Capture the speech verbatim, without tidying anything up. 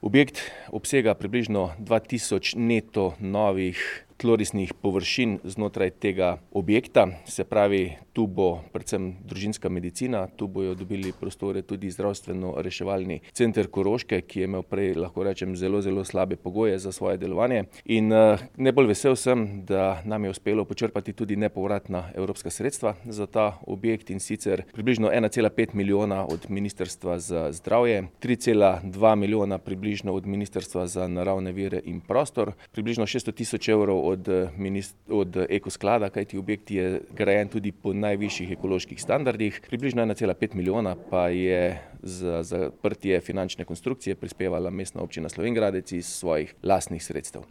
Objekt obsega približno dva tisoč neto novih tlorisnih površin znotraj tega objekta, se pravi, tu bo predvsem družinska medicina, tu bojo dobili prostore tudi zdravstveno-reševalni center Koroške, ki je imel prej, lahko rečem, zelo, zelo slabe pogoje za svoje delovanje. In najbolj vesel sem, da nam je uspelo počrpati tudi nepovratna evropska sredstva za ta objekt, in sicer približno ena cela pet milijona od Ministrstva za zdravje, tri cela dva milijona približno od Ministrstva za naravne vire in prostor, približno šeststo tisoč evrov od, od Eko sklada, kajti objekt je grajen tudi po najvišjih ekoloških standardih, približno ena cela pet milijona pa je za zaprtje finančne konstrukcije prispevala Mestna občina Slovenj Gradec iz svojih lastnih sredstev.